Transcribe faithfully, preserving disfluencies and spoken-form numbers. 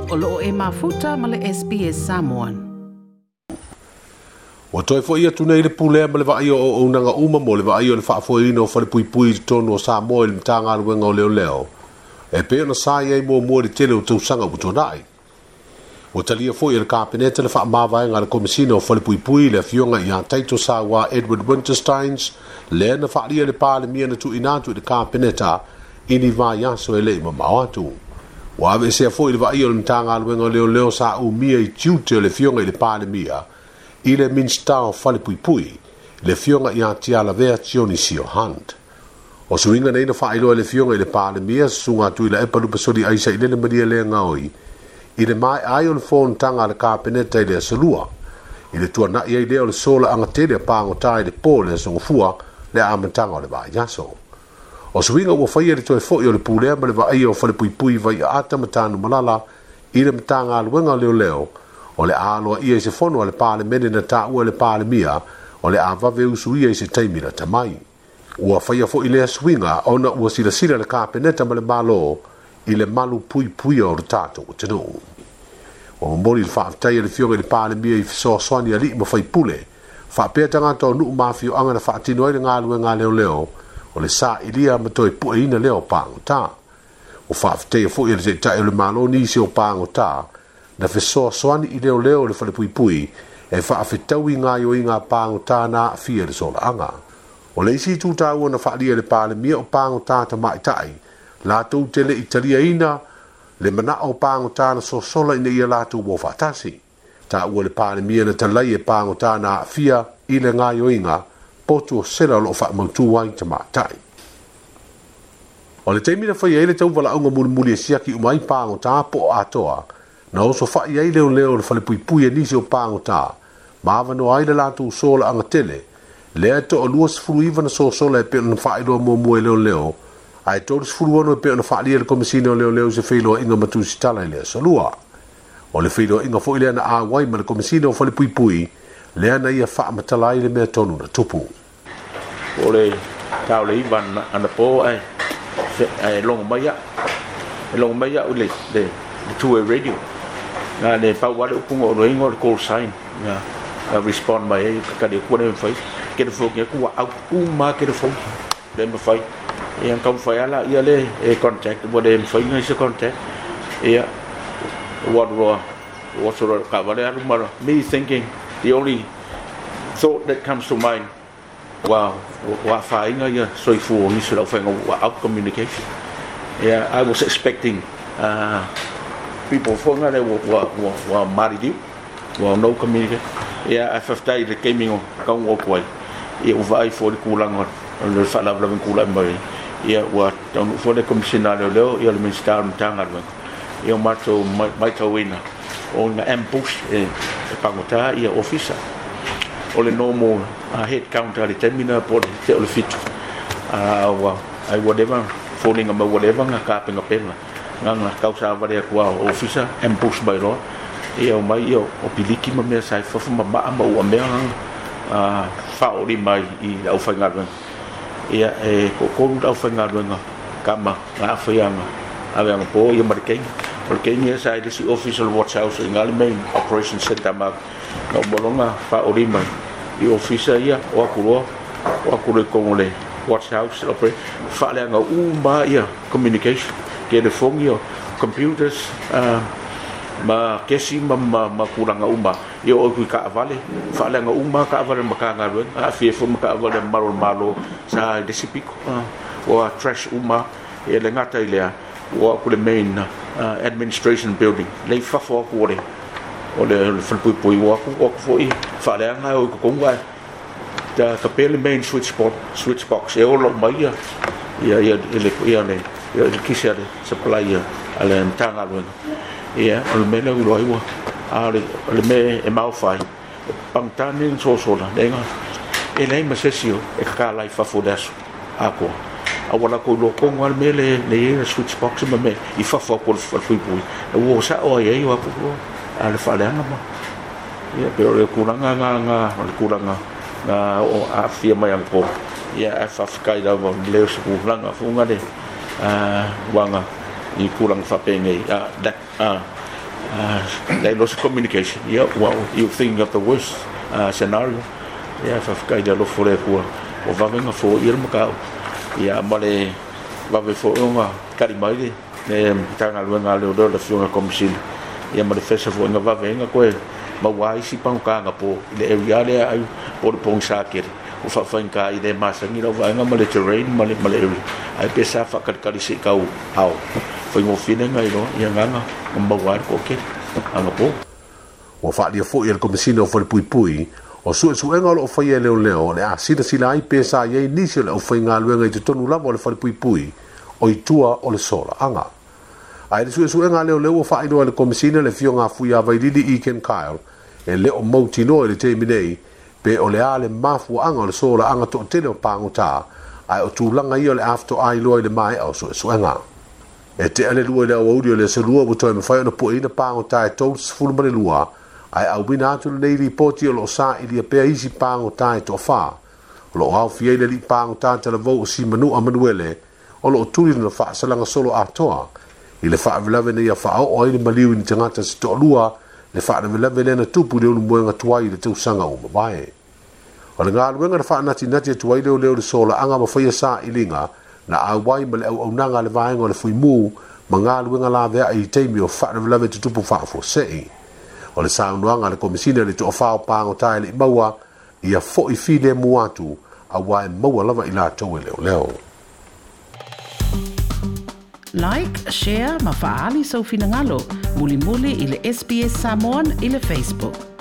O loo e mafuta ma le S B S Samoan. Ua toe fo'i atu nei le pulea ma le vaaia o auaunaga uma mo le vaaia o le faafoeina o falepuipui i totonu o Samoa i le Matagaluega o Leoleo, e pei ona sa i ai muamua i le tele o tausaga ua tuanai. Ua talia foi e le Kapeneta le faamavaega a le Komesina o Falepuipui le afioga ia Taito Saua Edward Wintersteins, lea na faalia le Palemia na tuuina atu i le Kapeneta i ni vaiaso e le i mamao atu. Ua aveesea foi le vaaia o le Matagaluega o Leoleo sa umia i tiute o le afioga i le Palemia i le Minista o Falepuipui, le afioga ia Tialavea Tionisio Hunt. O suiga nei na faailoa e le afioga i le Palemia, susuga Tuilaepa Lupesoli Aisa i lele malia le gaoi, i le maeai o le fonotaga a le Kapeneta i le aso lua, i le tuanai ai lea o le sola agatele a pagota i le po le aso Gafua le amataga o le vaiaso. O suiga ua faia le toe fo'i o le pulea ma le vaaia o falepuipui Vaiaata ma Tanumalala i le Matagaluega o Leoleo, o le aloa ia i se fono a le Palemene na taua e le Palemia, o le avave usuia i se taimi lata mai. Ua faia foi lea suiga ona ua silasila le Kapeneta ma le Malo i le malu puipuia o le tatou atunuu. Ua momoli le faafetai a le afioga i le Palemia i fesoasoani alii ma faipule, faapea tagata o nuu ma afioaga na faatino ai le galuega a leoleo, o le sailia ma toe pueina lea o pagota. Ua faafetaia foi e le taitai o le Malo nisi o pagota, na fesoasoani i leoleo o le falepuipui e faafetaui gaoioiga a pagota na aafia i le solaaga. O le isi itu taua na faalia e le Palemia o pagota tamaitai, latou te le i taliaina le manao o pagota na sosola ina ia latou o faatasi. Taua le Palemia na talai e pagota na aafia i le gaoioiga potu o sela o loo faamautu ai tamaitai. O le taimi na faia ai le tauvalaauga mulimuli e siaki uma ai pagota po o atoa, na oso fai ai leoleo o le falepuipui e nisi o pagota, ma avanoa ai le latou sola agatele, lea e toalua sefulu iva na sosola e pei ona faailoa muamua e leoleo, ae tolu sefulu ono e pei ona faalia e le Komesina o Leoleo i se feiloaiga ma tusitala i le aso lua. O le feiloaiga foi lea na auai ma le Komesina o Falepuipui, lea na ia faamatala ai le mea tonu na tupu. O le tau le iva anapo ae ae logo mai au. E logo mai au le, le, le two-way radio. Nga le pau wale upunga o loinga o le call sign. Nga nga respond mai ai ka kali ku le mfai. Ke le fo ke ku au uma ke le fo. Le mfai. Ia ka mfai ala ia le e contact mo le mfai ngai se contact. Ia wa ro wa so ro ka wale alu mara. Me thinking the only thought that comes to mind wa wa whainga ia soifua ni se lau whainga wa out communication. Yeah, I was expecting uh, people whanga le wa wa wa, wa maririu, wa no communicate. Yeah, I whaftai le gaming o kaunga o kuai. Ia ua vaai fo le kūlanga o le whaalavalava kūlanga mai. Ia ua taunu fo le komisina leo leo, ia le Minista o le Matagaluega. Ia o mātou maitauina o ngā ambush e, e pangota ia ofisa. O le normal uh, head counter le taimi po le te o le fitu. Uh, ua, ai whatever, falling ma whatever ngā kāpenga pena. Ngā ngā kausa aware kua o ofisa, ambush mai roa. Ia o mai ia o piliki ma mea sai fafu ma maa ma ua mea ngā uh, whaori mai i au whaingaruenga. Ia e kokoru au whaingaruenga kama ngā awhaianga aweanga po ia ma le keinga. O le keinga ia sai lesi office o le Watch House i ngā le main operation center ma ngā umolonga whaori mai. I ofisa ia o akuroa, o akuroa i kongo le Watch House operation. Whaaleanga uma ia communication. Ke le fongi o computers, uh, ma kesi ma, ma, ma kuranga uma. Ia o kui kaawale, whaaleanga uma kaawale ma kāngaruenga, a fie fo ma kaawale malo malo sa i lesi piko. Uh, o trash uma, e le ngata i lea, o aku le main uh, administration building. Lei fafo aku o le, o le, le whalepuipui o aku, o aku foi, whaaleanga o i kokonga e. Ta, ka pē le main switchboard, switch box, e ola mai ia, ia, ia, ia, ia, le, ia, le kisi a le supply ia, a le Matagaluega. Ia, o le mea lea ulo ai ua, a le, o le mea e maofai, pangtani ni sosola, le nga, e lei ma sesi o, e kakalai fafo le aso, a koa. A wala ko lo kongo al mea le, le ia switch box ma me, i fafo ako le whalepuipui. E ua sa o ai ai o aku o, a le whaleanga ma. Ia, pe o le kuranga ngā, ngā, o le kuranga, ngā o a fia mai ang po. Ia, a whawhikai rau leo se kuranga, funga le, a, wanga, i kuranga whapengei, a, lek, a, They lost communication. Yeah, well, you thinking of the worst uh, scenario. Yeah, faafetai le alofa o le Atua ua vave ona foia le mataupu. Ia ma le vave foi ona tali mai le le Matagaluega a Leoleo le Afioga i le Komesina ia ma le fesa foi na vave ai ona toe maua ai isi pagota anapo i le area lea ai po o le pogisa tele ua faafaigata i le masani lau vaega ma le terrain ma le ma le area ae pe sa faatalitali se i tau ao faigofie lea na iloa ia gana na maua ai le toatele anapo. Ua faaalia foi e le Komesina o Falepuipui, o suesuega o lo o faia e leoleo o le a silasila ai pe sa i ai nisi o le aufaigaluega i totonu lava o le falepuipui o i tua o le solaaga. A i le suesuega a leoleo ua faailoa e le Komesina le afioga a Fuiavailili E. Ken Kyle e le o mautinoa i le taimi nei pe o le a le mafuaaga o le solaaga toatele o pagota, ae o tulaga ia o le a faatoa iloa i le maea o suesuega. E tea le lua i le aoauli o le aso Lua ua toe mafai ona pueina pagota e tolusefulu ma le lua, ae auina atu lenei lipoti o lo o sailia pea isi pagota e toafa. O lo o aofia ai le alii pagota talavou o Simanua Manuele o lo o tuli lona faasalaga solo atoa i le faalavelave na ia faaoo ai le maliu i ni tagata se toalua le faalavelave lea na tupu i le ulumoega tuai i le tausaga ua mavae. O le galuega na faanatinati atu ai leoleo i le solaaga ma faia sailiga na auai ma le auaunaga a le vaega o le Fuimu ma galuega laveai i taimi o faalavelave tutupu faafuasei. O le saunoaga a le Komesina i le toafa o pagota e le i maua ia foi filemu atu aua e maua lava i latou e leoleo. Like, share ma faaali sou finagalo mulimuli i le S B S Samoan i le Facebook.